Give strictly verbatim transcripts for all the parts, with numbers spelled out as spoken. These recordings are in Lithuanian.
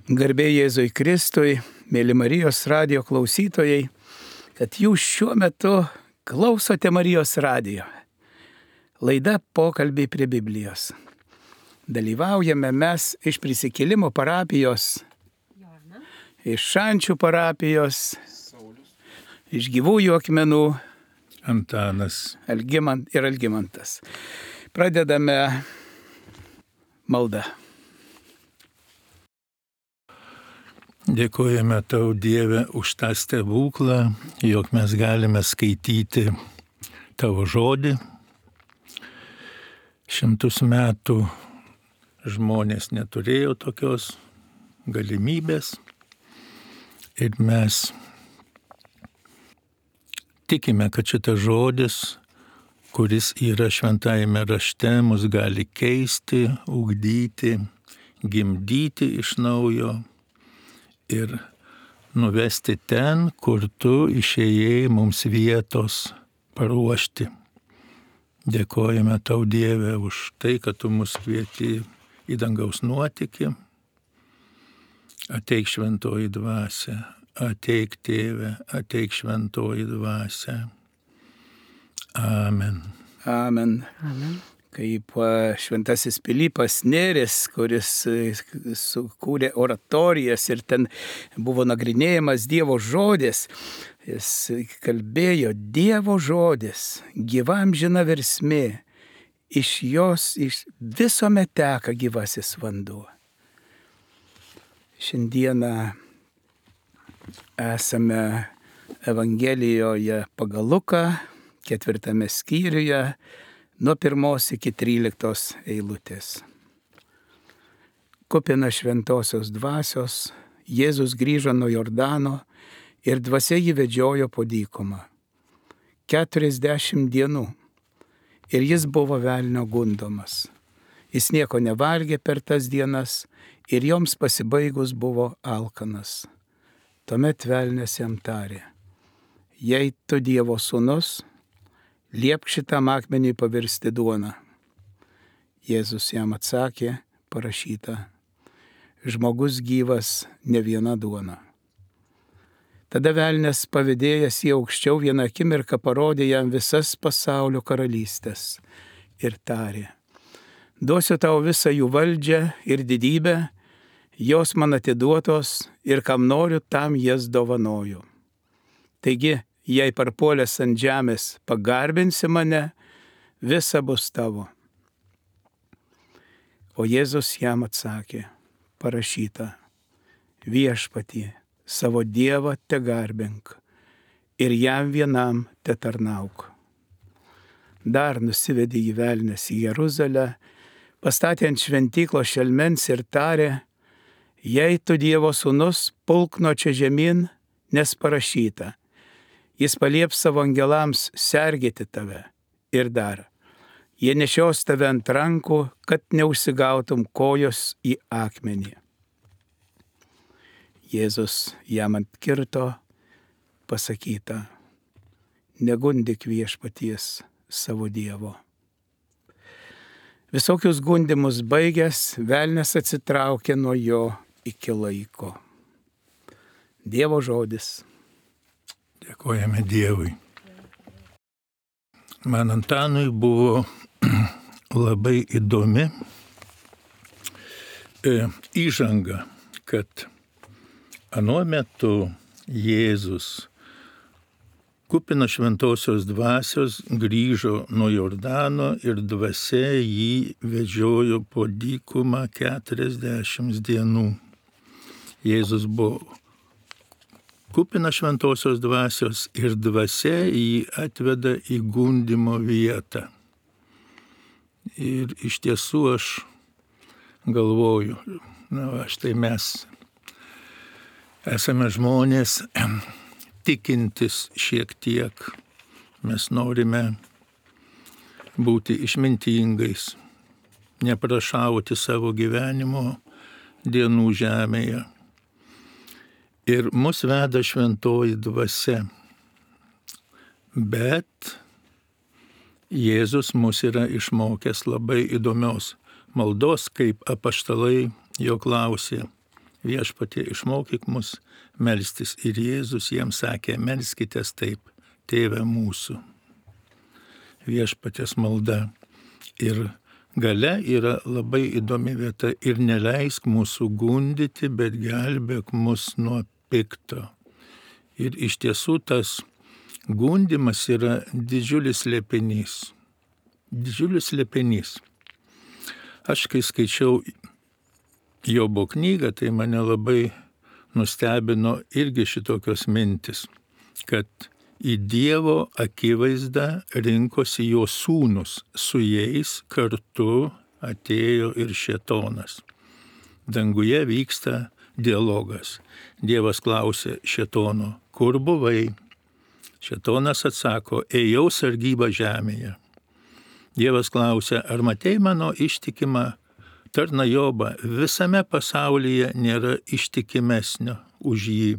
Garbė Jėzui Kristui, mėly Marijos radijo klausytojai, kad jūs šiuo metu klausote Marijos radijo. Laida Pokalbiai prie Biblijos. Dalyvaujame mes iš Prisikėlimo parapijos, iš Šančių parapijos, iš Gyvųjų akmenų, Antanas Algimant ir Algimantas. Pradedame maldą. Dėkojame tau, Dieve, už tą stebuklą, jog mes galime skaityti tavo žodį. Šimtus metų žmonės neturėjo tokios galimybės ir mes tikime, kad šitas žodis, kuris yra šventajame rašte, mus gali keisti, ugdyti, gimdyti iš naujo ir nuvesti ten, kur tu išėjai mums vietos paruošti. Dėkojame tau, Dieve, už tai, kad tu mus kvieti į dangaus nuotykį. Ateik šventoji dvasia, ateik Tėve, ateik šventoji dvasia. Amen. Amen. Amen. Kaip šventasis Pilypas Nėris, kuris sukūrė oratorijas ir ten buvo nagrinėjamas Dievo žodis, jis kalbėjo Dievo žodis, gyvam žina versmė, iš jos iš visuomet teka gyvasis vanduo. Šiandieną esame Evangelijoje pagal Luką, ketvirtame skyriuje, nuo pirmos iki tryliktos eilutės. Kupina šventosios dvasios, Jėzus grįžo nuo Jordano ir dvasia jį vedžiojo po dykumą. Keturiasdešimt dienų. Ir jis buvo velnio gundomas. Jis nieko nevalgė per tas dienas ir joms pasibaigus buvo alkanas. Tuomet velnias jam tarė: jei tu Dievo sūnus, liepk šitam akmeniui pavirsti duoną. Jėzus jam atsakė, parašyta: žmogus gyvas ne viena duona. Tada velnias pavedėjęs jį aukščiau vieną akimirką parodė jam visas pasaulio karalystės ir tarė: duosiu tau visą jų valdžią ir didybę, jos man atiduotos ir kam noriu, tam jas dovanoju. Taigi, jei parpuolęs ant žemės pagarbinsi mane, visa bus tavo. O Jėzus jam atsakė, parašyta: viešpatie, savo Dievą tegarbink ir jam vienam tetarnauk. Dar nusivedė jį velnias į Jeruzalę, pastatė ant šventyklos šelmens ir tarė: jei tu Dievo sūnus, pulk nuo čia žemyn, nes parašyta: jis palieps savo angelams sergėti tave. Ir dar, jie nešios tave ant rankų, kad neužsigautum kojos į akmenį. Jėzus jam atkirto, pasakyta: negundyk viešpaties savo Dievo. Visokius gundymus baigęs, velnias atsitraukė nuo jo iki laiko. Dievo žodis. Dėkojame Dievui. Man Antanui buvo labai įdomi e, įžanga, kad anuo metu Jėzus, kupina šventosios dvasios, grįžo nuo Jordano ir dvasia jį vedžiojo po dykumą keturiasdešimt dienų. Jėzus buvo kupina šventosios dvasios ir dvasia jį atveda į gundymo vietą. Ir iš tiesų aš galvoju, na, va, štai mes esame žmonės tikintis šiek tiek. Mes norime būti išmintingais, neprašauti savo gyvenimo dienų žemėje. Ir mus veda šventoji dvasia. Bet Jėzus mus yra išmokęs labai įdomios maldos, kaip apaštalai jo klausė: Viešpatie, išmokyk mus melstis. Ir Jėzus jiems sakė, melskitės taip, Tėve mūsų. Viešpaties malda. Ir gale yra labai įdomi vieta. Ir neleisk mūsų gundyti, bet gelbėk mus nuo pikto. Ir iš tiesų tas gundimas yra didžiulis slėpinys. Didžiulis slėpinys. Aš kai skaičiau Jobo knygą, tai mane labai nustebino irgi šitokios mintis, kad į Dievo akivaizdą rinkosi jo sūnus, su jais kartu atėjo ir šėtonas. Danguje vyksta dialogas. Dievas klausė šėtono, kur buvai? Šėtonas atsako, ėjau sargybą žemėje. Dievas klausė, ar matei mano ištikimą tarną Jobą? Visame pasaulyje nėra ištikimesnio už jį.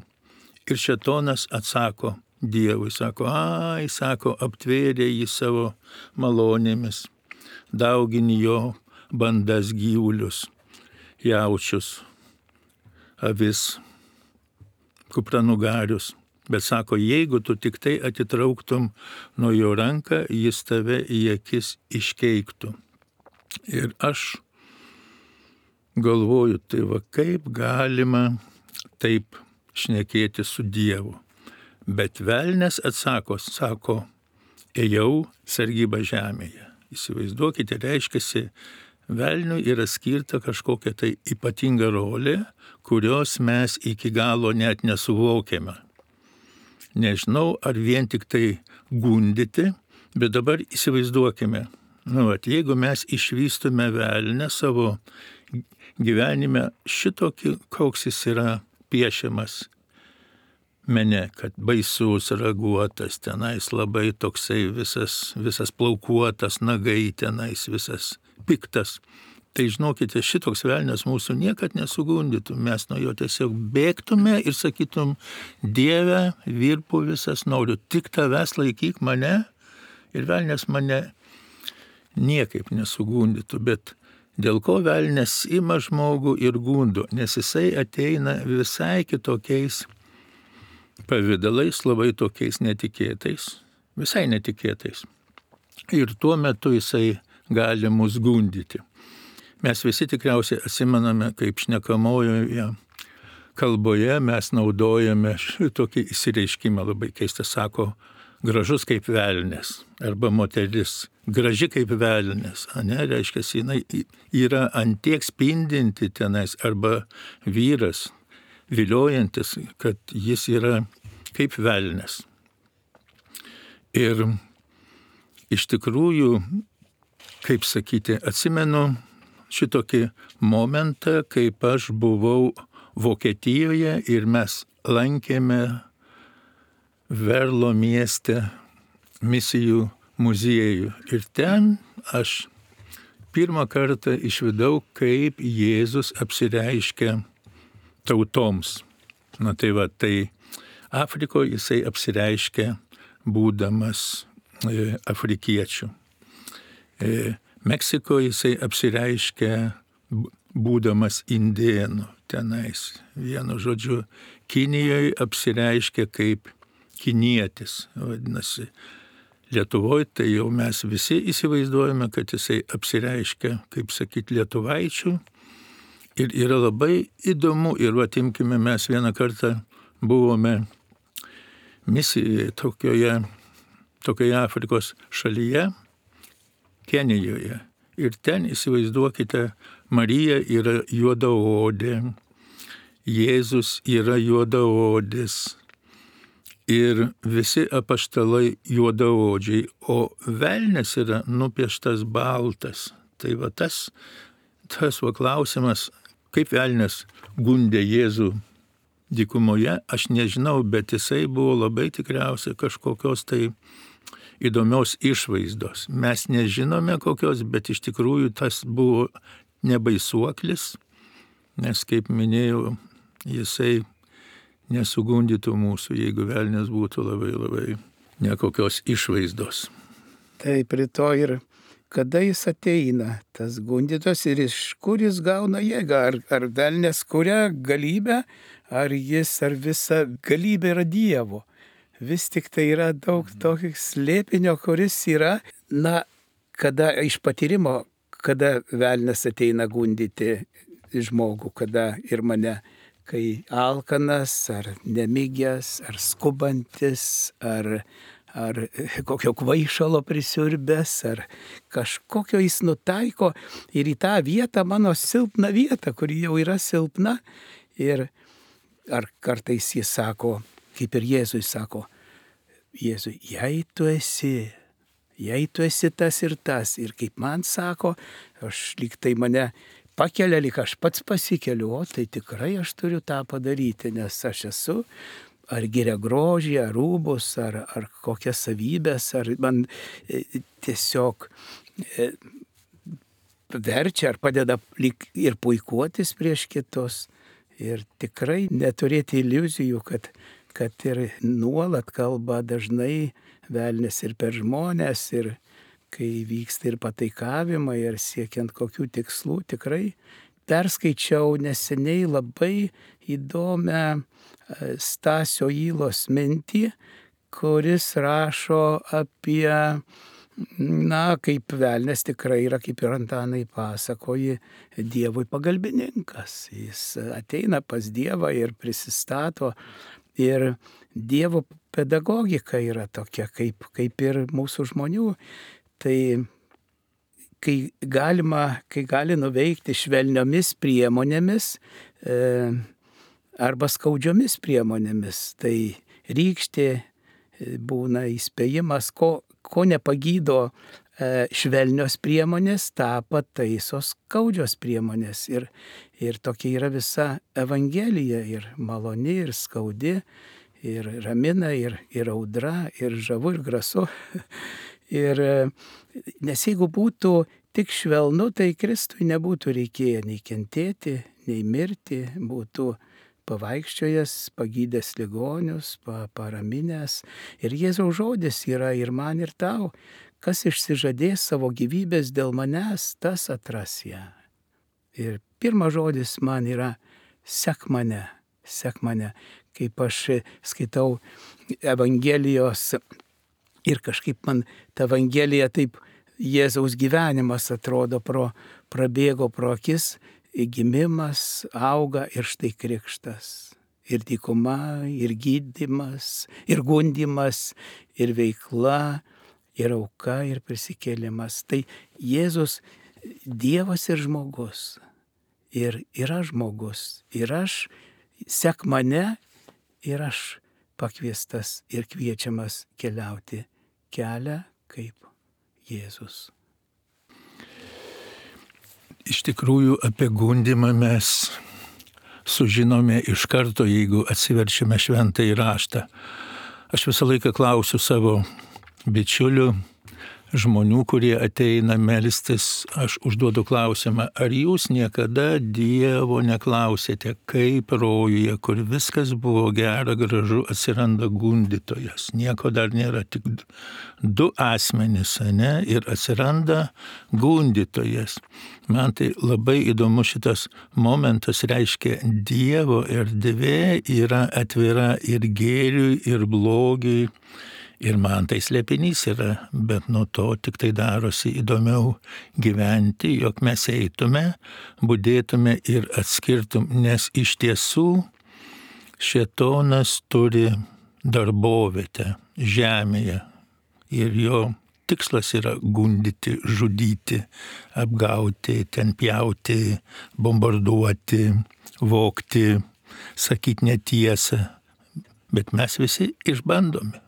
Ir šėtonas atsako Dievui, sako, ai, sako, aptvėrė jį savo malonėmis, daugini jo bandas gyvulius, jaučius, avis, kupranugarius. Bet sako, jeigu tu tik tai atitrauktum nuo jo ranką, jis tave į akis iškeiktų. Ir aš galvoju, tai va kaip galima taip šnekėti su Dievu. Bet velnias atsako, sako, ėjau sargybą žemėje. Įsivaizduokite, reiškiasi, velniui yra skirta kažkokia tai ypatinga rolė, kurios mes iki galo net nesuvokiame. Nežinau, ar vien tik tai gundyti, bet dabar įsivaizduokime, nu, at, jeigu mes išvystume velnę savo gyvenime šitokį, koks jis yra piešiamas mene, kad baisus, raguotas, tenais labai toksai visas, visas plaukuotas, nagai tenais visas piktas. Tai žinokite, šitoks velnias mūsų niekad nesugundytų, mes nuo jo tiesiog bėgtume ir sakytum, Dieve, virpu visas, noriu tik tavęs laikyk mane, ir velnias mane niekaip nesugundytų, bet dėl ko velnias ima žmogų ir gundo, nes jisai ateina visai kitokiais pavidalais, labai tokiais netikėtais, visai netikėtais. Ir tuo metu jisai gali mus gundyti. Mes visi tikriausiai atsimename, kaip šnekamojoje kalboje mes naudojame šitokį įsireiškimą, labai keistą, sako, gražus kaip velnės, arba moteris, graži kaip velnės, ane, reiškia, jinai yra antiek spindinti tenais, arba vyras, viliojantis, kad jis yra kaip velnės. Ir iš tikrųjų, kaip sakyti, atsimenu šitokį momentą, kaip aš buvau Vokietijoje ir mes lankėme Verlo mieste misijų muziejų. Ir ten aš pirmą kartą išvydau, kaip Jėzus apsireiškia tautoms. Na tai va, tai Afrikoje jisai apsireiškia būdamas e, afrikiečių. E, Meksikoje jisai apsireiškia būdamas indėnų tenais. Vienu žodžiu, Kinijoje apsireiškia kaip kinietis. Vadinasi, Lietuvoje tai jau mes visi įsivaizduojame, kad jisai apsireiškia, kaip sakyti, lietuvaičių. Ir yra labai įdomu, ir atimkime, mes vieną kartą buvome misijoje tokioje, tokioje Afrikos šalyje, Kenijoje. Ir ten, įsivaizduokite, Marija yra juodaodė, Jėzus yra juodaodis ir visi apaštalai juodaodžiai, o velnias yra nupieštas baltas. Tai va tas, tas va klausimas, kaip velnias gundė Jėzų dykumoje, aš nežinau, bet jisai buvo labai tikriausiai kažkokios tai įdomios išvaizdos. Mes nežinome kokios, bet iš tikrųjų tas buvo nebaisuoklis, nes, kaip minėjau, jisai nesugundytų mūsų, jeigu velnias būtų labai labai nekokios išvaizdos. Taip, rytoj ir kada jis ateina, tas gundytojas, ir iš kur jis gauna jėgą, ar, ar velnės kuria galybę, ar jis, ar visa galybė yra Dievo. Vis tik tai yra daug tokio slėpinio, kuris yra, na, kada iš patyrimo, kada velnės ateina gundyti žmogų, kada ir mane, kai alkanas, ar nemigęs, ar skubantis, ar, ar kokio kvaišalo prisiurbęs, ar kažkokio jis nutaiko ir į tą vietą, mano silpną vietą, kuri jau yra silpna. Ir ar kartais jis sako, kaip ir Jėzui sako, Jėzui, jei tu esi, jei tu esi tas ir tas, ir kaip man sako, aš lyg tai mane pakelia, lyg aš pats pasikeliu, o tai tikrai aš turiu tą padaryti, nes aš esu ar giria grožį, ar rūbus, ar, ar kokias savybės, ar man e, tiesiog e, verčia, ar padeda lyg ir puikuotis prieš kitus. Ir tikrai neturėti iliuzijų, kad, kad ir nuolat kalba dažnai velnės ir per žmonės, ir kai vyksta ir pataikavimai, ir siekiant kokių tikslų. Tikrai perskaičiau neseniai labai įdomią Stasio Ylos mintį, kuris rašo apie, na, kaip velnės tikrai yra, kaip ir Antanai pasakoji, Dievui pagalbininkas. Jis ateina pas Dievą ir prisistato, ir Dievo pedagogika yra tokia, kaip, kaip ir mūsų žmonių. Tai kai galima, kai gali nuveikti švelniomis priemonėmis e, arba skaudžiomis priemonėmis, tai rykštė būna įspėjimas, ko, ko nepagydo e, švelnios priemonės, tą pataiso skaudžios priemonės. Ir, ir tokia yra visa Evangelija, ir maloni, ir skaudi, ir ramina, ir, ir audra, ir žavu, ir grasu. Ir nes jeigu būtų tik švelnu, tai Kristui nebūtų reikėję nei kentėti, nei mirti, būtų pavaikščiojęs, pagydęs ligonius, pa, paraminęs. Ir Jėzaus žodis yra ir man, ir tau, kas išsižadės savo gyvybės dėl manęs, tas atras ją. Ir pirmas žodis man yra sek mane, sek mane. Kaip aš skaitau Evangelijos, ir kažkaip man ta Evangelija taip Jėzaus gyvenimas atrodo, pro, prabėgo pro akis, gimimas, auga ir štai krikštas. Ir dykuma, ir gydymas, ir gundymas, ir veikla, ir auka, ir prisikėlimas. Tai Jėzus Dievas ir žmogus. Ir yra žmogus. Ir aš, sek mane, ir aš pakviestas ir kviečiamas keliauti kelią kaip Jėzus. Iš tikrųjų, apie gundymą mes sužinome iš karto, jeigu atsiverčiame šventąjį raštą. Aš visą laiką klausiu savo bičiulių, žmonių, kurie ateina melstis, aš užduodu klausimą, ar jūs niekada Dievo neklausėte, kaip rojuje, kur viskas buvo gera, gražu, atsiranda gundytojas. Nieko dar nėra, tik du asmenys, ne, ir atsiranda gundytojas. Man tai labai įdomu šitas momentas, reiškia, Dievo erdvė yra atvira ir gėriui, ir blogiui. Ir man tai slėpinys yra, bet nuo to tik tai darosi įdomiau gyventi, jog mes eitume, budėtume ir atskirtum, nes iš tiesų šėtonas turi darbovietę žemėje ir jo tikslas yra gundyti, žudyti, apgauti, ten pjauti, bombarduoti, vogti, sakyti netiesą, bet mes visi išbandome.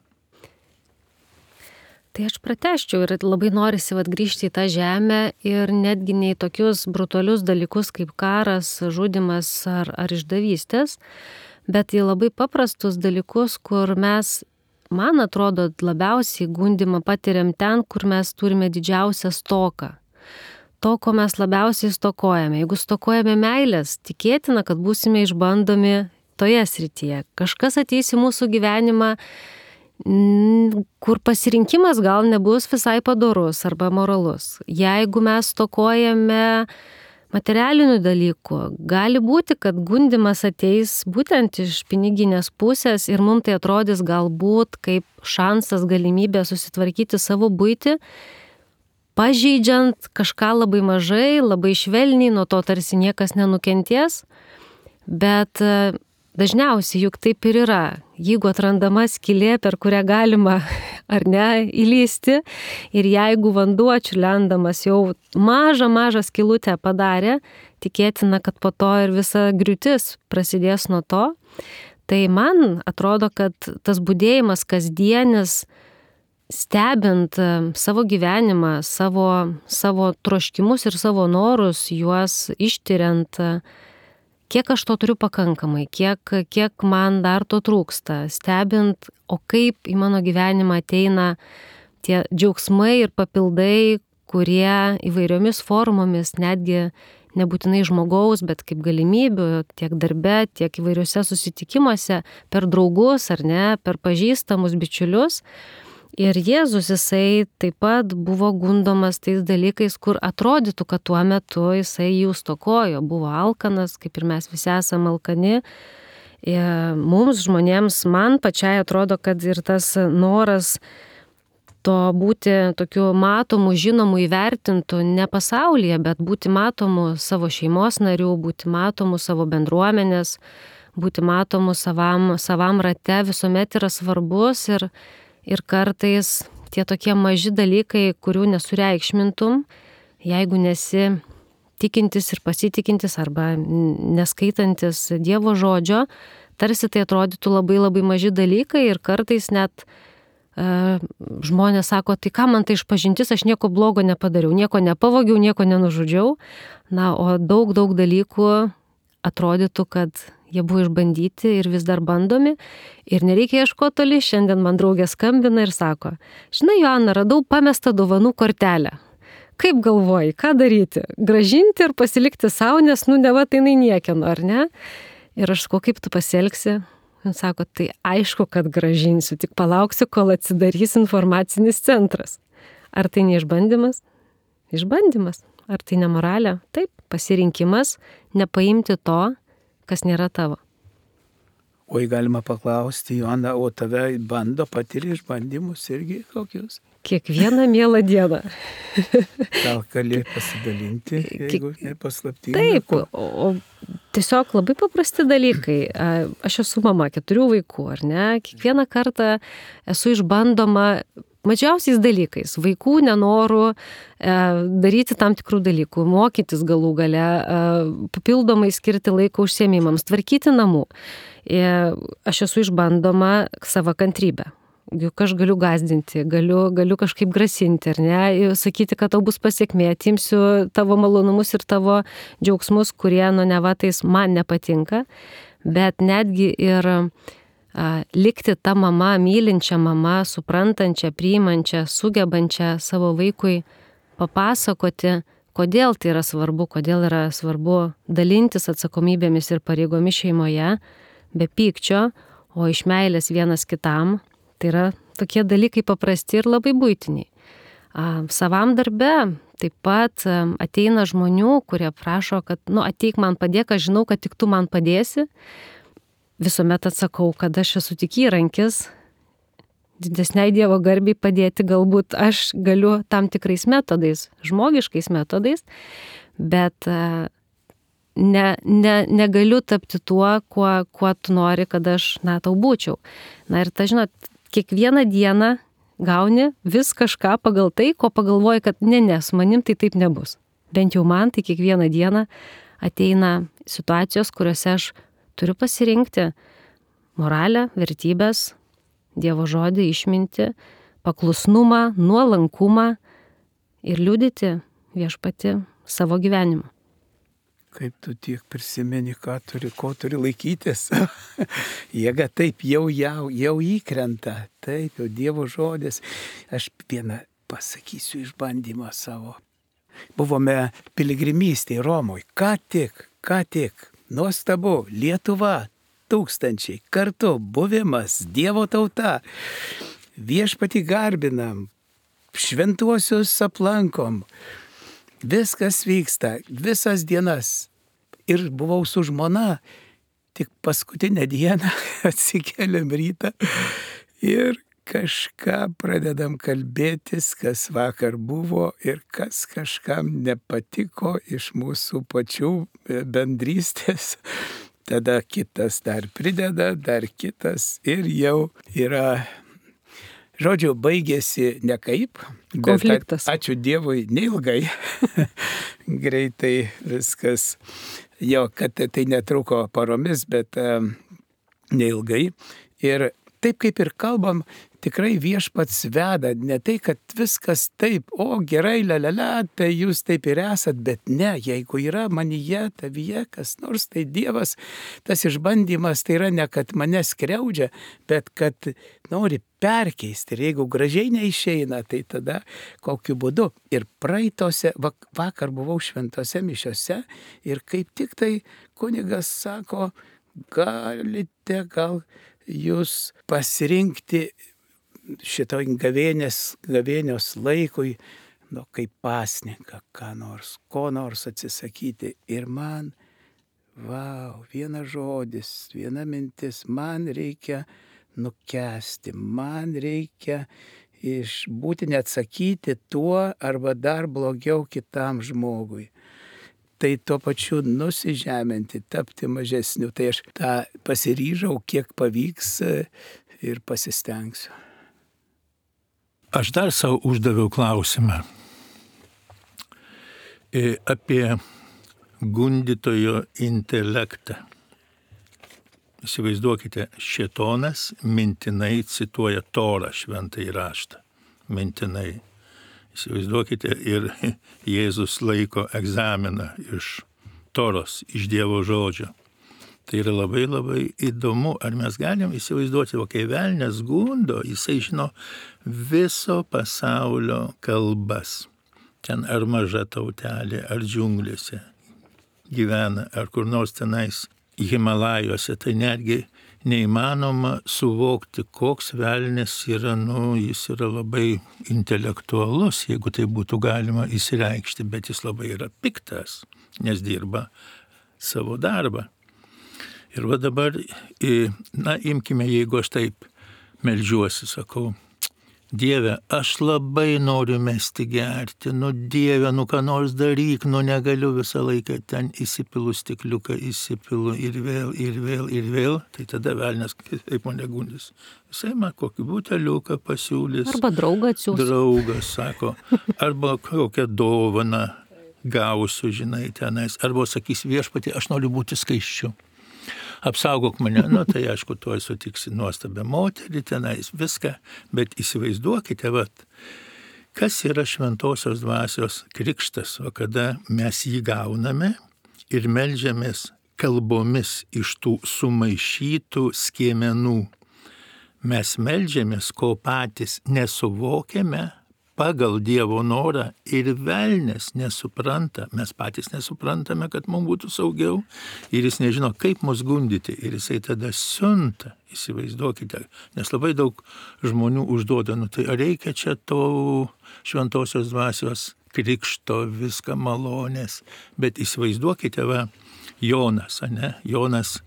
Tai aš pratęsčiau ir labai norisi vat grįžti į tą žemę ir netgi ne į tokius brutalius dalykus kaip karas, žudymas ar, ar išdavystės, bet į labai paprastus dalykus, kur mes, man atrodo, labiausiai gundymą patiriam ten, kur mes turime didžiausią stoką. To, ko mes labiausiai stokojame. Jeigu stokojame meilės, tikėtina, kad būsime išbandomi toje srityje. Kažkas ateis į mūsų gyvenimą kur pasirinkimas gal nebus visai padorus arba moralus. Jeigu mes stokojame materialinių dalykų, gali būti, kad gundimas ateis būtent iš piniginės pusės ir mums tai atrodys galbūt kaip šansas, galimybė susitvarkyti savo buitį, pažeidžiant kažką labai mažai, labai švelniai, nuo to tarsi niekas nenukentės, bet dažniausiai juk taip ir yra. Jeigu atrandama skylė, per kurią galima ar ne įlysti, ir jeigu vanduo čiurlendamas jau mažą, mažą skylutę padarė, tikėtina, kad po to ir visa griūtis prasidės nuo to. Tai man atrodo, kad tas budėjimas kasdienis, stebint savo gyvenimą, savo, savo troškimus ir savo norus, juos ištiriant, kiek aš to turiu pakankamai, kiek, kiek man dar to trūksta, stebint, o kaip į mano gyvenimą ateina tie džiaugsmai ir papildai, kurie įvairiomis formomis, netgi nebūtinai žmogaus, bet kaip galimybių, tiek darbe, tiek įvairiuose susitikimuose, per draugus ar ne, per pažįstamus bičiulius. Ir Jėzus jisai taip pat buvo gundomas tais dalykais, kur atrodytų, kad tuo metu jisai jų stokojo, buvo alkanas, kaip ir mes visi esame alkani. Ir mums žmonėms, man pačiai atrodo, kad ir tas noras to būti tokiu matomu, žinomu, įvertintų ne pasaulyje, bet būti matomu savo šeimos narių, būti matomu savo bendruomenės, būti matomu savam, savam rate visuomet yra svarbus ir Ir kartais tie tokie maži dalykai, kurių nesureikšmintum, jeigu nesi tikintis ir pasitikintis arba neskaitantis Dievo žodžio, tarsi tai atrodytų labai labai maži dalykai ir kartais net e, žmonės sako, tai ką man tai išpažintis, aš nieko blogo nepadariau, nieko nepavogiau, nieko nenužudžiau. Na, o daug daug dalykų atrodytų, kad jie buvo išbandyti ir vis dar bandomi ir nereikia ieškoti toli. Šiandien man draugė skambina ir sako, žinai, Joana, radau pamestą dovanų kortelę. Kaip galvoji, ką daryti? Grąžinti ir pasilikti savo, nes nu neva tai jinai niekieno, ar ne? Ir aš sakau, kaip tu pasielgsi? Jis sako, tai aišku, kad grąžinsiu, tik palauksiu, kol atsidarys informacinis centras. Ar tai neišbandymas? Išbandymas. Ar tai nemoralė? Taip, pasirinkimas nepaimti to, kas nėra tavo. Oi, galima paklausti, Joana, o tave bando, patiri išbandymus irgi kokius? Kiekvieną mielą dieną. Gal gali pasidalinti, jeigu nepaslaptinga? Taip, o, o tiesiog labai paprasti dalykai. Aš esu mama keturių vaikų, ar ne? Kiekvieną kartą esu išbandoma mažiausiais dalykais, vaikų nenorų e, daryti tam tikrų dalykų, mokytis galų gale, e, papildomai skirti laiko užsiėmimams, tvarkyti namų. E, aš esu išbandoma savo kantrybę. Juk aš galiu gąsdinti, galiu, galiu kažkaip grasinti, ar ne, sakyti, kad tau bus pasiekmė, atimsiu tavo malonumus ir tavo džiaugsmus, kurie, nu, nevatais man nepatinka, bet netgi ir likti ta mama, mylinčia mama, suprantančia, priimančia, sugebančia savo vaikui papasakoti, kodėl tai yra svarbu, kodėl yra svarbu dalintis atsakomybėmis ir pareigomis šeimoje, be pykčio, o iš meilės vienas kitam. Tai yra tokie dalykai paprasti ir labai buitiniai. Savam darbe taip pat ateina žmonių, kurie prašo, kad, nu, ateik man padėk, aš žinau, kad tik tu man padėsi. Visuomet atsakau, kad aš esu tik įrankis, didesniai Dievo garbiai padėti, galbūt aš galiu tam tikrais metodais, žmogiškais metodais, bet ne, ne, negaliu tapti tuo, kuo, kuo tu nori, kad aš, na, tau būčiau. Na ir ta, žinot, kiekvieną dieną gauni vis kažką pagal tai, ko pagalvoji, kad ne, ne, su manim tai taip nebus. Bent jau man tai kiekvieną dieną ateina situacijos, kuriuose aš turiu pasirinkti moralę, vertybės, Dievo žodį, išmintį, paklusnumą, nuolankumą ir liudyti Viešpatį savo gyvenimu. Kaip tu tiek prisimeni, ką turi, ko turi laikytis. Jėga taip jau, jau, jau įkrenta, taip jau Dievo žodis. Aš vieną pasakysiu išbandymą savo. Buvome piligrimystėje Romoje, ką tik, ką tik. Nuostabu, Lietuva, tūkstančiai kartu buvimas, Dievo tauta, viešpatį garbinam, šventuosius aplankom, viskas vyksta, visas dienas. Ir buvau su žmona, tik paskutinę dieną atsikeliam rytą ir kažką pradedam kalbėtis, kas vakar buvo ir kas kažkam nepatiko iš mūsų pačių bendrystės. Tada kitas dar prideda, dar kitas ir jau yra, žodžiu, baigėsi nekaip. Konfliktas. Ačiū Dievui, neilgai. Greitai viskas, jo, kad tai netruko paromis, bet um, neilgai. Ir taip kaip ir kalbam, tikrai viešpats veda, ne tai, kad viskas taip, o gerai, lalala, tai jūs taip ir esat, bet ne, jeigu yra manyje, tavyje kas nors, tai Dievas, tas išbandymas, tai yra ne, kad mane skriaudžia, bet kad nori perkeisti. Ir jeigu gražiai neišeina, tai tada kokiu būdu. Ir praeitose, vakar buvau šventose mišiose ir kaip tik tai kunigas sako, galite gal jūs pasirinkti šito gavėnės, gavėnios laikui, nu, kaip pasninką, ką nors, ko nors atsisakyti. Ir man, vau, vienas žodis, viena mintis, man reikia nukęsti, man reikia išbūti neatsakyti tuo arba dar blogiau kitam žmogui. Tai tuo pačiu nusižeminti, tapti mažesniu. Tai aš tą pasiryžau, kiek pavyks ir pasistengsiu. Aš dar savo uždaviau klausimą apie gundytojo intelektą. Įsivaizduokite, šėtonas mintinai cituoja Torą, šventąjį raštą. Mintinai. Įsivaizduokite, ir Jėzus laiko egzaminą iš Toros, iš Dievo žodžio. Tai yra labai labai įdomu, ar mes galim įsivaizduoti, o kai velnias gundo, jisai žino viso pasaulio kalbas. Ten ar maža tautelė, ar džiunglėse gyvena, ar kur nors tenais Himalajuose, tai netgi neįmanoma suvokti, koks velnias yra, nu, jis yra labai intelektualus, jeigu tai būtų galima įsireikšti, bet jis labai yra piktas, nes dirba savo darbą. Ir va dabar, na, imkime, jeigu aš taip meldžiuosi, sakau, Dieve, aš labai noriu mesti gerti, nu Dieve, nu ką nors daryk, nu negaliu visą laiką ten įsipilu stikliuką, įsipilu ir vėl, ir vėl, ir vėl, tai tada velnias kaip mane gundys. Jisai man kokį buteliuką pasiūlys. Arba draugą atsiūs. Draugas, sako, arba kokią dovaną gausiu, žinai, tenais, arba sakys viešpatie, aš noriu būti skaisčiu. Apsaugok mane, nu tai aišku, tuoj sutiksi nuostabią moterį tenais, viską, bet įsivaizduokite, vat, kas yra šventosios dvasios krikštas, o kada mes jį gauname ir meldžiamės kalbomis iš tų sumaišytų skiemenų. Mes meldžiamės, ko patys nesuvokiame pagal Dievo norą ir velnias nesupranta, mes patys nesuprantame, kad mums būtų saugiau ir jis nežino, kaip mus gundyti ir jisai tada siunta, įsivaizduokite, nes labai daug žmonių užduoda, nu tai ar reikia čia to šventosios dvasios krikšto, viską malonės, bet įsivaizduokite, va, Jonas, ane, Jonas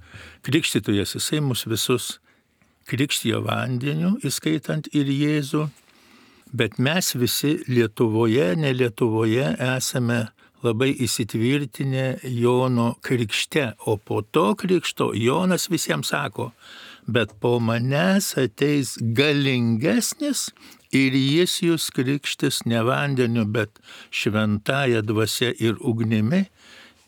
krikštytojas, jisai mus visus krikštijo vandeniu, įskaitant ir Jėzų. Bet mes visi Lietuvoje, ne Lietuvoje esame labai įsitvirtinę Jono krikšte, o po to krikšto Jonas visiems sako, bet po manęs ateis galingesnis ir jis jūs krikštis ne vandeniu, bet šventąja dvasia ir ugnimi,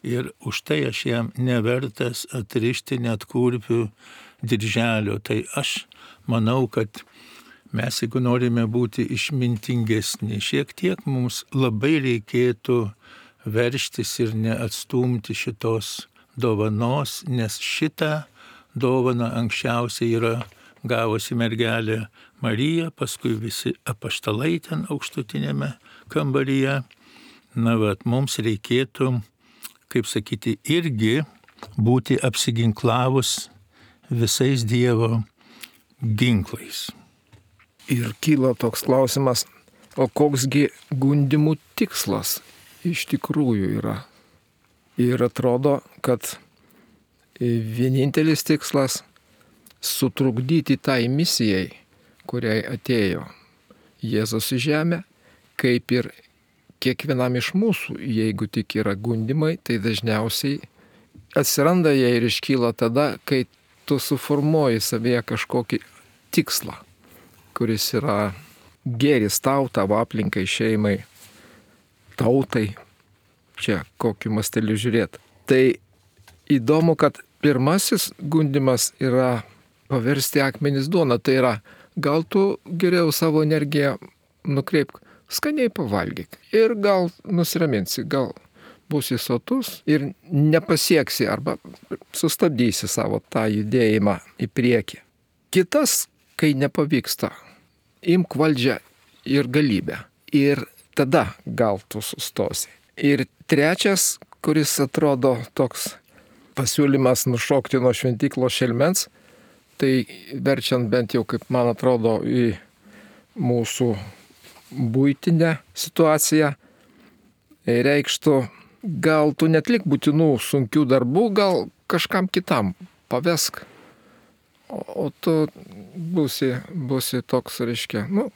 ir už tai aš jam nevertas atrišti net kurpių dirželio. Tai aš manau, kad mes, jeigu norime būti išmintingesni, šiek tiek mums labai reikėtų verštis ir neatstumti šitos dovanos, nes šitą dovaną anksčiausiai yra gavusi mergelė Marija, paskui visi apaštalai ten aukštutinėme kambaryje. Na, vat, mums reikėtų, kaip sakyti, irgi būti apsiginklavus visais Dievo ginklais. Ir kyla toks klausimas, o koksgi gundimų tikslas iš tikrųjų yra? Ir atrodo, kad vienintelis tikslas sutrukdyti tai misijai, kuriai atėjo Jėzus į žemę, kaip ir kiekvienam iš mūsų, jeigu tik yra gundimai, tai dažniausiai atsiranda jie ir iškyla tada, kai tu suformuoji savyje kažkokį tikslą, kuris yra gėris tau, tavo aplinkai, šeimai, tautai. Čia kokiu masteliu žiūrėti. Tai įdomu, kad pirmasis gundimas yra paversti akmenis duona. Tai yra, gal tu geriau savo energiją nukreipk, skaniai pavalgyk ir gal nusiraminsi, gal būsi sotus ir nepasieksi arba sustabdysi savo tą judėjimą į priekį. Kitas, kai nepavyksta, imk valdžią ir galybę ir tada gal tu sustosi. Ir trečias, kuris atrodo toks pasiūlymas nušokti nuo šventyklos šelmens, tai verčiant bent jau, kaip man atrodo, į mūsų buitinę situaciją, reikštų, gal tu netlik būtinų sunkių darbų, gal kažkam kitam pavesk, o, o tu būsi, būsi toks, reiškia, nu,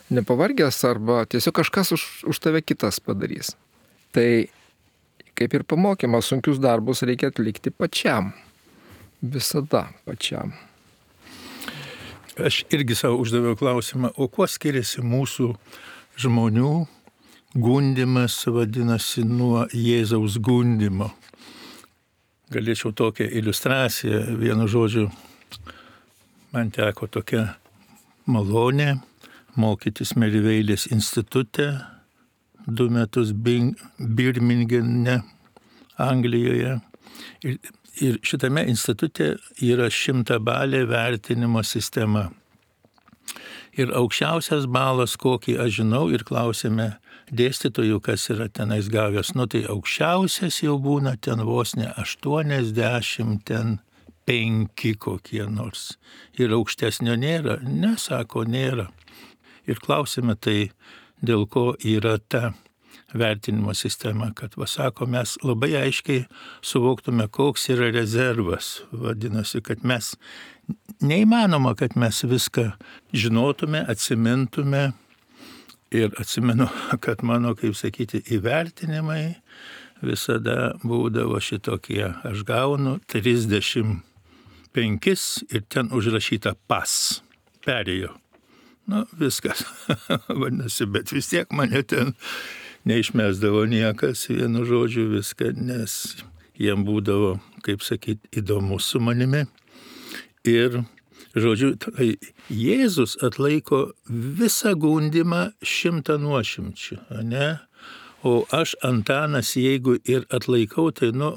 nepavargęs arba tiesiog kažkas už, už tave kitas padarys. Tai kaip ir pamokymas, sunkius darbus reikia atlikti pačiam. Visada pačiam. Aš irgi savo uždaviau klausimą, o kuo skiriasi mūsų žmonių gundimas, vadinasi, nuo Jėzaus gundimo? Galėčiau tokią iliustraciją, vienu žodžiu, man teko tokia malonė mokytis Meriveilės institute, du metus Birmingene, Anglijoje. Ir, ir šitame institute yra šimtabalė vertinimo sistema. Ir aukščiausias balas, kokį aš žinau, ir klausėme dėstytojų, kas yra tenais gavęs. Nu tai aukščiausias jau būna ten vos ne aštuoniasdešimt, ten penki kokie nors. Ir aukštesnio nėra. Ne, sako, nėra. Ir klausėme tai, dėl ko yra ta vertinimo sistema, kad, va, sako, mes labai aiškiai suvoktume, koks yra rezervas. Vadinasi, kad mes, neįmanoma, kad mes viską žinotume, atsimintume. Ir atsimenu, kad mano, kaip sakyti, įvertinimai visada būdavo šitokie. Aš gaunu trisdešimt penkis ir ten užrašyta pas. Perėjo. Nu, viskas, vadinasi, bet vis tiek mane ten neišmesdavo niekas, vienu žodžiu viską, nes jiem būdavo, kaip sakyti, įdomu su manimi. Ir, žodžiu, tai Jėzus atlaiko visą gundimą šimtą nuošimčių, ne? O aš, Antanas, jeigu ir atlaikau, tai, nu,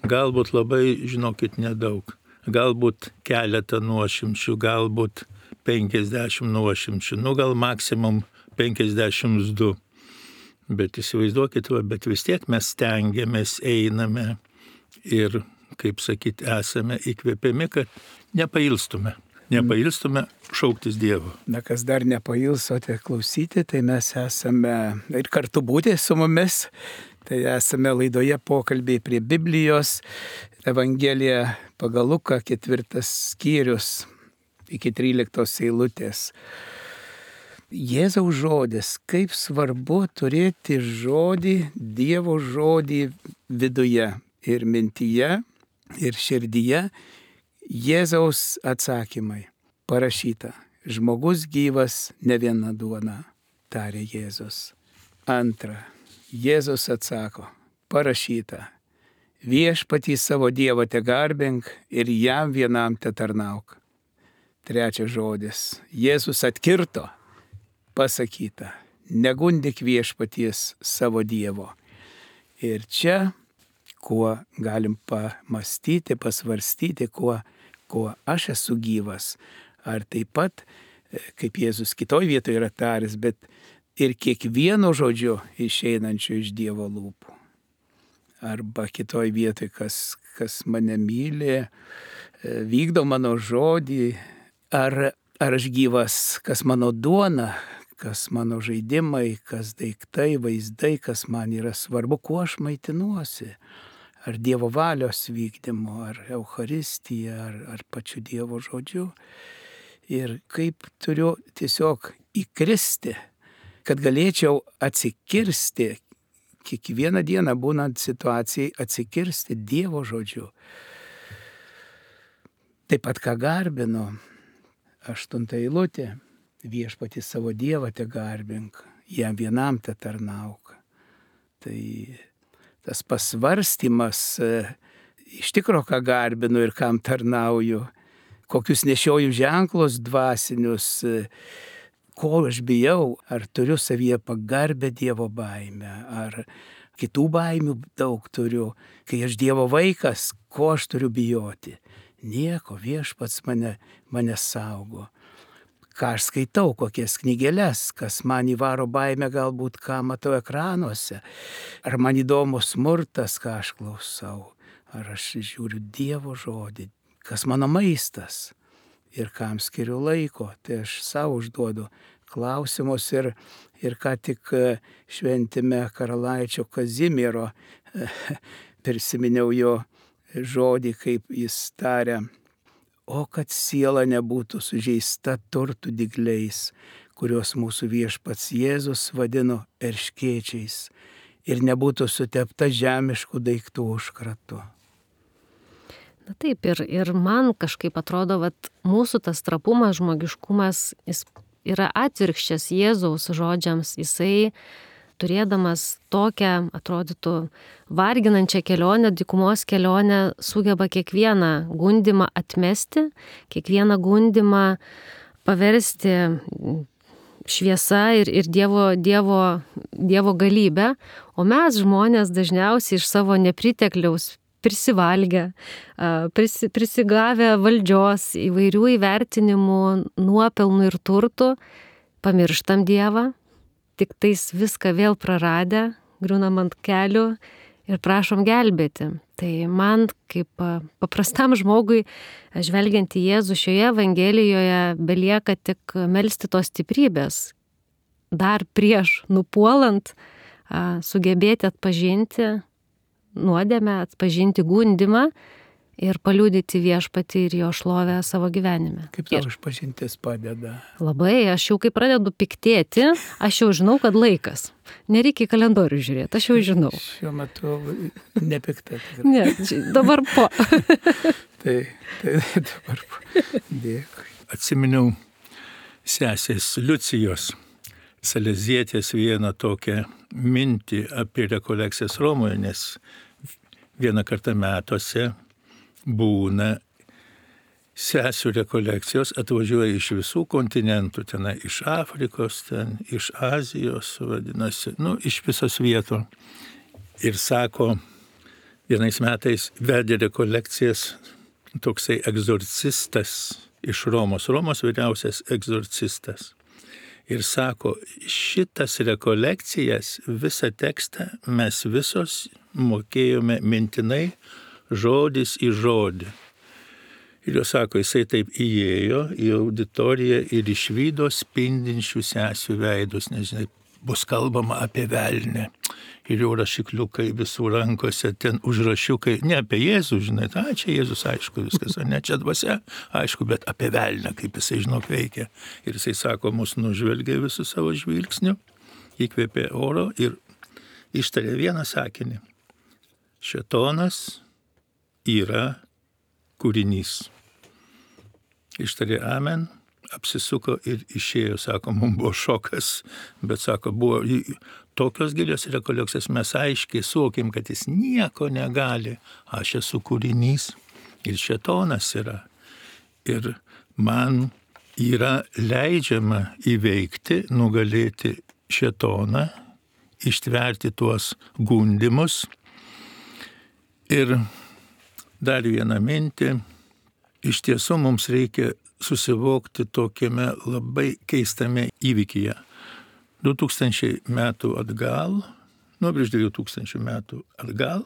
galbūt labai, žinokit, nedaug. Galbūt keletą nuošimčių, galbūt penkiasdešimt nuošimčių, nu gal maksimum penkiasdešimt du. Bet įsivaizduokit, va, bet vis tiek mes stengiamės, einame ir, kaip sakyti, esame įkvėpiami, kad nepailstume. Nepailstume šauktis Dievo. Na, kas dar nepailsote klausyti, tai mes esame ir kartu būti su mumis. Tai esame laidoje pokalbiai prie Biblijos, Evangelija pagal Luką, ketvirtas skyrius iki tryliktos eilutės. Jėzaus žodis, kaip svarbu turėti žodį, Dievo žodį viduje ir mintyje ir širdyje. Jėzaus atsakymai parašyta: žmogus gyvas ne viena duona, tarė Jėzus. Antra, Jėzus atsako, parašyta: viešpatį savo Dievą te garbink ir jam vienam te tarnauk. Trečias žodis, Jėzus atkirto, pasakyta: negundik viešpaties savo Dievo. Ir čia, kuo galim pamastyti, pasvarstyti, kuo, kuo aš esu gyvas. Ar taip pat, kaip Jėzus kitoj vietoje yra taręs, bet ir kiekvieno žodžio išeinančio iš Dievo lūpų. arba kitoj vietoj, kas, kas mane myli, vykdo mano žodį, ar, ar aš gyvas, kas mano duona, kas mano žaidimai, kas daiktai, vaizdai, kas man yra svarbu, kuo aš maitinuosi. Ar Dievo valios vykdymu, ar Eucharistija, ar, ar pačiu Dievo žodžiu. Ir kaip turiu tiesiog įkristi, kad galėčiau atsikirsti, kiekvieną dieną būnant situacijai, atsikirsti Dievo žodžiu. Taip pat ką garbinu, aštunta eilutė, viešpatį savo Dievą te garbink, jam vienam te tarnauk. Tai tas pasvarstymas, iš tikro ką garbinu ir kam tarnauju, kokius nešioju ženklus dvasinius, ko aš bijau, ar turiu savyje pagarbę Dievo baimę, ar kitų baimių daug turiu, kai aš Dievo vaikas, ko aš turiu bijoti. Nieko, viešpats mane, mane saugo. Ką aš skaitau, kokias knygeles, kas man įvaro baimę, galbūt ką matau ekranuose, ar man įdomus smurtas, ką aš klausau, ar aš žiūriu Dievo žodį, kas mano maistas ir kam skiriu laiko, tai aš savo užduodu klausimus ir, ir ką tik šventime karalaičio Kazimiero prisiminiau jo žodį, kaip jis taria. O kad siela nebūtų sužeista turtų dygliais, kuriuos mūsų viešpats Jėzus vadino erškėčiais, ir nebūtų sutepta žemiškų daiktų užkratu. Na taip, ir, ir man kažkaip atrodo, kad mūsų tas trapumas, žmogiškumas, jis yra atvirkščias Jėzaus žodžiams. Jisai, turėdamas tokią, atrodytų, varginančią kelionę, dykumos kelionę, sugeba kiekvieną gundimą atmesti, kiekvieną gundimą paversti šviesa ir, ir dievo, dievo, dievo galybę, o mes žmonės dažniausiai iš savo nepritekliaus prisivalgę, prisi, prisigavę valdžios, įvairių įvertinimų, nuopelnų ir turtų, pamirštam Dievą, tik tais viską vėl praradę, griūnam ant kelių ir prašom gelbėti. Tai man kaip paprastam žmogui, žvelgiant į Jėzų šioje Evangelijoje, belieka tik melsti tos stiprybės. Dar prieš nupuolant sugebėti atpažinti nuodėmę, atpažinti gundimą ir paliudyti viešpatį ir jo šlovę savo gyvenime. Kaip tau išpažintis padeda? Labai, aš jau kai pradedu piktėti, aš jau žinau, kad laikas. Nereikia į kalendorių žiūrėti, aš jau žinau. Šiuo metu nepikta. Ne, dabar po. tai, tai dabar po. Dėkui. Atsiminiau sesės Liucijos Salezietės vieną tokią mintį apie rekolekcijas Romoje, nes vieną kartą metuose būna sesių rekolekcijos, atvažiuoja iš visų kontinentų, ten iš Afrikos, ten iš Azijos, vadinasi, nu, iš visos vietų. Ir sako, vienais metais vedė rekolekcijas toksai egzorcistas iš Romos, Romos vyriausias egzorcistas. Ir sako, šitas rekolekcijas, visą tekstą mes visos mokėjome mintinai, žodis į žodį. Ir jo sako, jisai taip įėjo į auditoriją ir išvydo spindinčių sesių veidus, nežinai, bus kalbama apie velnę. Ir jau rašikliukai visų rankose, ten užrašiukai, ne apie Jėzų, žinai, ta, čia Jėzus, aišku, viskas, ne čia dvasia, aišku, bet apie velnę, kaip jisai, žinok, veikia. Ir jisai sako, mus nužvelgia visų savo žvilgsnių, įkvėpė oro ir ištarė vieną sakinį. Šėtonas yra kūrinys. Ištarė amen, apsisuko ir išėjo, sako, mums buvo šokas, bet sako, buvo tokios gilios rekolekcijos, mes aiškiai suvokim, kad jis nieko negali, aš esu kūrinys ir šėtonas yra. Ir man yra leidžiama įveikti, nugalėti šėtoną, ištverti tuos gundimus. Ir dar vieną mintį, iš tiesų mums reikia susivokti tokiame labai keistame įvykyje. du tūkstančiai metų atgal, nu prieš dviejų tūkstančių metų atgal,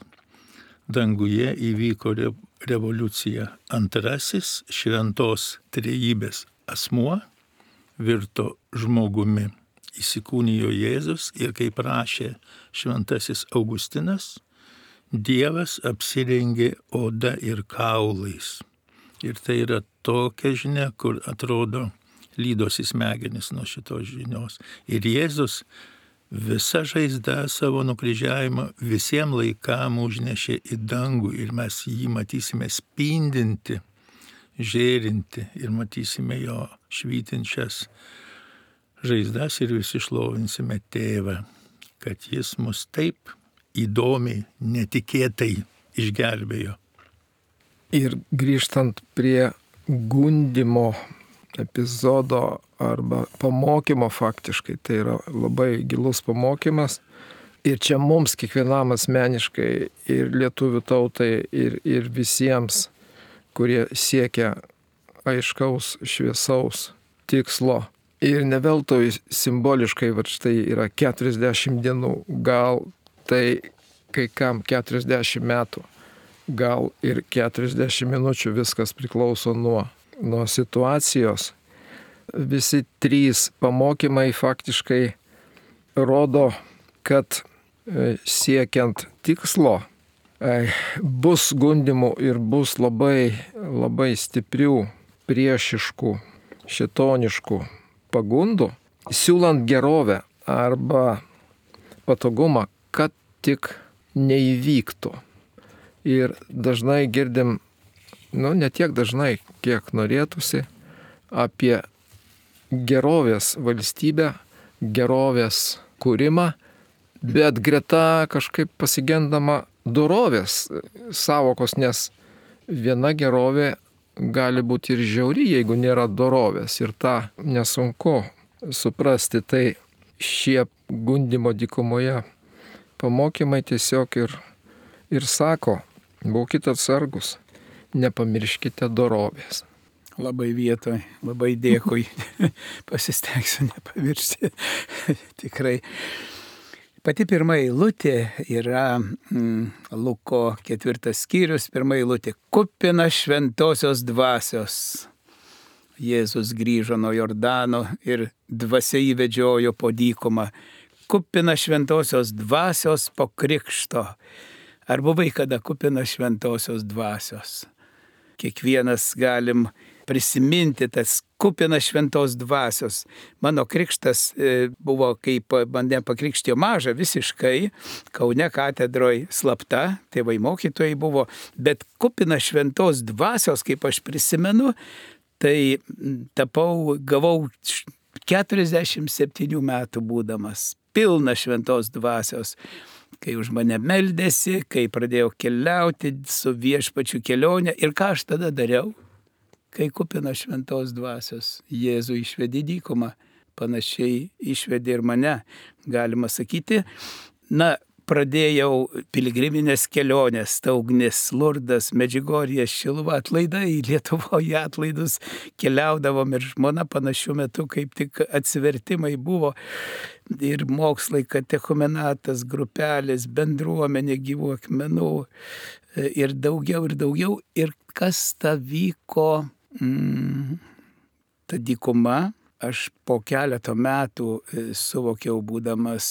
danguje įvyko re, revoliucija. Antrasis šventos trejybės asmuo virto žmogumi. Įsikūnijo Jėzus ir kaip rašė šventasis Augustinas, Dievas apsirengė oda ir kaulais. Ir tai yra tokia žinia, kur atrodo lydosi smegenis nuo šitos žinios. Ir Jėzus visą žaizdą savo nukryžiavimą visiems laikam užnešė į dangų ir mes jį matysime spindinti, žėrinti ir matysime jo švytinčias žaizdas ir visi šlovinsime Tėvą, kad jis mus taip įdomiai, netikėtai išgelbėjo. Ir grįžtant prie gundimo epizodo arba pamokymo faktiškai, tai yra labai gilus pamokymas. Ir čia mums kiekvienam asmeniškai ir lietuvių tautai ir, ir visiems, kurie siekia aiškaus, šviesaus tikslo. Ir ne veltui simboliškai, va štai yra keturiasdešimt dienų, gal tai kai kam keturiasdešimt metų, gal ir keturiasdešimt minučių, viskas priklauso nuo, nuo situacijos. Visi trys pamokymai faktiškai rodo, kad siekiant tikslo bus gundimų ir bus labai, labai stiprių, priešiškų, šitoniškų pagundų, siūlant gerovę arba patogumą, kad tik neįvyktų. Ir dažnai girdim, nu ne tiek dažnai, kiek norėtųsi, apie gerovės valstybę, gerovės kūrimą, bet greta kažkaip pasigendama dorovės savokos, nes viena gerovė gali būti ir žiauri, jeigu nėra dorovės. Ir tą nesunku suprasti. Tai šie gundimo dykumoje pamokymai tiesiog ir, ir sako, būkite atsargus, nepamirškite dorovės. Labai vietoj, labai dėkui, pasistengsiu nepamiršti. Tikrai. Pati pirma eilutė yra mm, Luko ketvirtas skyrius, pirma eilutė. Kupina šventosios dvasios. Jėzus grįžo nuo Jordano ir dvasia įvedžiojo po dykumą. Kupina šventosios dvasios po krikšto. Ar buvai kada kupina šventosios dvasios? Kiekvienas galim prisiminti tas kupina šventos dvasios. Mano krikštas e, buvo, kaip mane pakrikštijo mažą visiškai, Kaune katedroje slapta, tėvai mokytojai buvo, bet kupina šventos dvasios, kaip aš prisimenu, tai tapau, gavau keturiasdešimt septynių metų būdamas, pilna šventos dvasios. Kai už mane meldėsi, kai pradėjau keliauti su viešpačiu kelionę ir ką aš tada dariau? Kai kupina šventos dvasios, Jėzų išvedė į dykumą, panašiai išvedė ir mane, galima sakyti. Na, pradėjau piligriminės kelionės, Taugnis, Lurdas, Medžiugorje, Šiluva, atlaidai, Lietuvoje atlaidus keliaudavom ir žmona panašiu metu, kaip tik atsivertimai buvo ir mokslai, katechumenatas, grupelės, bendruomenė gyvų akmenų ir daugiau ir daugiau. Ir kas ta vyko? Mm, ta dykuma, aš po keleto metų suvokiau, būdamas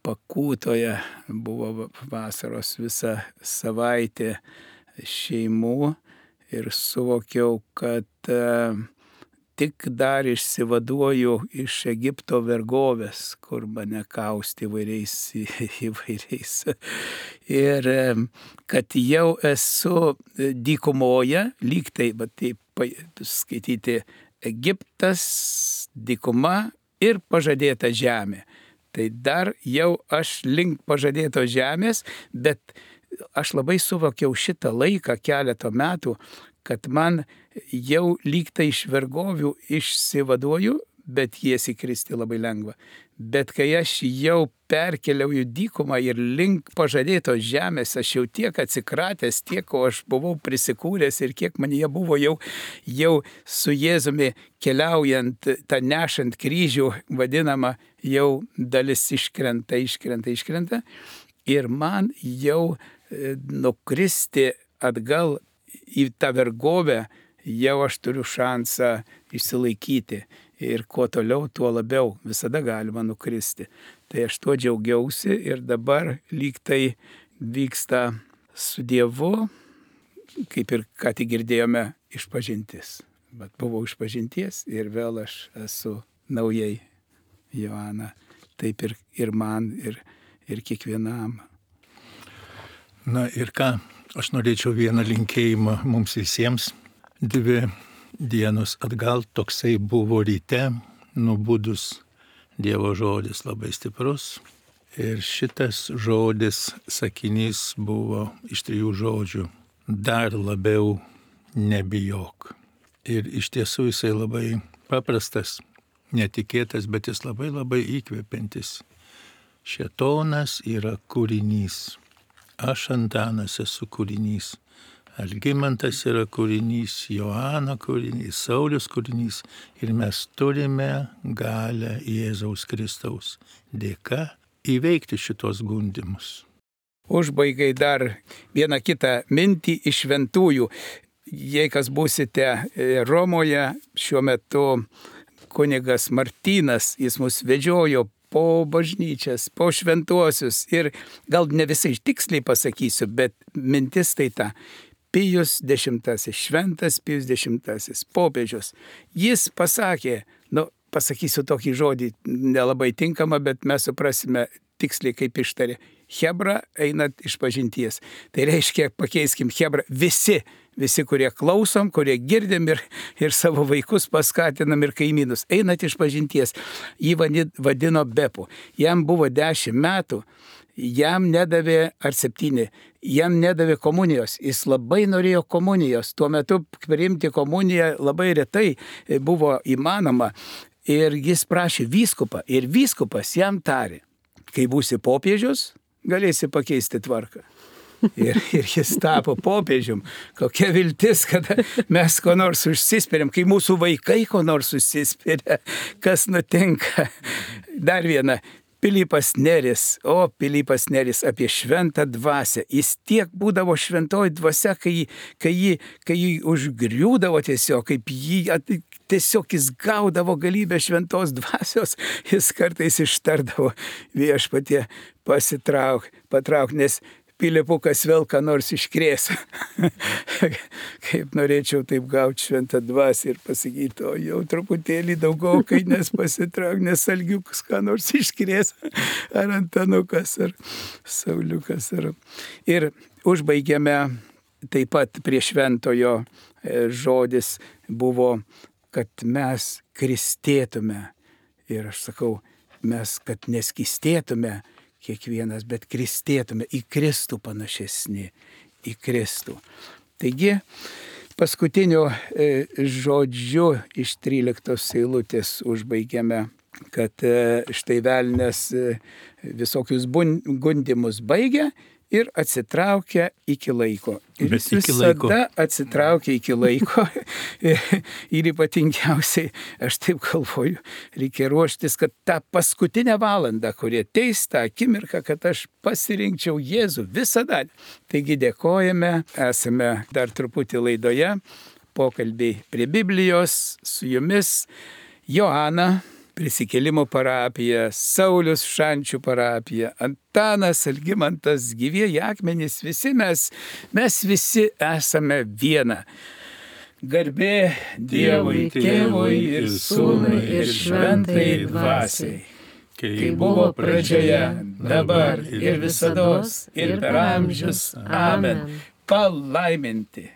Pakūtoje, buvo vasaros visą savaitę šeimų ir suvokiau, kad uh, tik dar išsivaduoju iš Egipto vergovės, kur mane kausti įvairiais, įvairiais. Ir kad jau esu dykumoje, lyg tai, bet taip skaityti Egiptas, dykuma ir pažadėta žemė. Tai dar jau aš link pažadėtos žemės, bet aš labai suvokiau šitą laiką, keletą metų, kad man jau lyg tai iš vergovių išsivaduoju, bet jas įkristi labai lengva. Bet kai aš jau perkeliau į dykumą ir link pažadėtos žemės, aš jau tiek atsikratęs, tiek, ko aš buvau prisikūręs ir kiek man jie buvo jau, jau su Jėzumi keliaujant, tą nešant kryžių, vadinama, jau dalis iškrenta, iškrenta, iškrenta. Ir man jau nukristi atgal į tą vergovę, jau aš turiu šansą išsilaikyti. Ir kuo toliau, tuo labiau visada galima nukristi. Tai aš tuo džiaugiausi ir dabar lyg tai vyksta su Dievu, kaip ir ką tik girdėjome, išpažintis. Bet buvau išpažinties ir vėl aš esu naujai Joana. Taip ir, ir man, ir, ir kiekvienam. Na ir ką, aš norėčiau vieną linkėjimą mums visiems. Dvi dienos atgal toksai buvo ryte, nubudus Dievo žodis labai stiprus. Ir šitas žodis, sakinys buvo iš trijų žodžių. Dar labiau nebijok. Ir iš tiesų jisai labai paprastas, netikėtas, bet jis labai labai įkvepiantis. Šėtonas yra kūrinys. Aš Antanas esu kūrinys. Algimantas yra kūrinys, Joana kūrinys, Saulius kūrinys. Ir mes turime galę Jėzaus Kristaus dėka įveikti šitos gundymus. Užbaigai dar vieną kitą mintį iš šventųjų. Jei kas būsite Romoje, šiuo metu kunigas Martynas, jis mus vedžiojo po bažnyčias, po šventuosius. Ir gal ne visai tiksliai pasakysiu, bet mintis tai ta. Pijus dešimtasis, šventas Pijus dešimtasis, popiežius. Jis pasakė, nu, pasakysiu tokį žodį, nelabai tinkamą, bet mes suprasime tiksliai kaip ištarė. Hebra einat iš pažinties. Tai reiškia, pakeiskim Hebra visi, visi, kurie klausom, kurie girdim ir, ir savo vaikus paskatinam ir kaimynus. Einat iš pažinties. Jį vadino Bepu. Jam buvo dešimt metų. Jam nedavė, ar septyni, jam nedavė komunijos. Jis labai norėjo komunijos. Tuo metu priimti komuniją labai retai buvo įmanoma. Ir jis prašė vyskupą. Ir vyskupas jam tarė, kai būsi popiežius, galėsi pakeisti tvarką. Ir, ir jis tapo popiežium. Kokia viltis, kad mes ko nors užsispiriam, kai mūsų vaikai ko nors užsispiria, kas nutinka. Dar viena. Pilypas Neris, o Pilypas Neris apie šventą dvasią. Jis tiek būdavo šventoji dvasia, kai, kai, jį, kai jį užgriūdavo tiesiog, kaip jį tiesiog jis gaudavo galybę šventos dvasios, jis kartais ištardavo viešpatie pasitrauk, patrauk, nes Pilypukas vėl ką nors iškrės. Kaip norėčiau taip gauti šventą dvasią ir pasakyti, o jau truputėlį daugokai, nes pasitrauk, nes Algiukas ką nors iškrės, ar Antanukas, ar Sauliukas. Ar... Ir užbaigėme taip pat prie šventojo žodis buvo, kad mes kristėtume. Ir aš sakau, mes, kad neskistėtume, kiekvienas, bet kristėtume į Kristų panašesni, į Kristų. Taigi, paskutiniu žodžiu iš tryliktos eilutės užbaigėme, kad štai velnias visokius gundymus baigia ir atsitraukia iki laiko. Ir Bet jis iki visada laiko. atsitraukia iki laiko. Ir ypatingiausiai, aš taip galvoju, reikia ruoštis, kad tą paskutinę valandą, kurie ateis tą akimirką, kad aš pasirinkčiau Jėzų visada. Taigi dėkojame, esame dar truputį laidoje, pokalbiai prie Biblijos, su jumis Joana, Prisikėlimo parapija, Saulius Šančių parapija, Antanas, Algimantas, gyvieji akmenys, visi mes, mes visi esame viena. Garbė Dievui, Tėvui ir Sūnui ir Šventai Dvasiai. Kai buvo pradžioje, dabar ir visados, ir per amžius. Amen. Palaiminti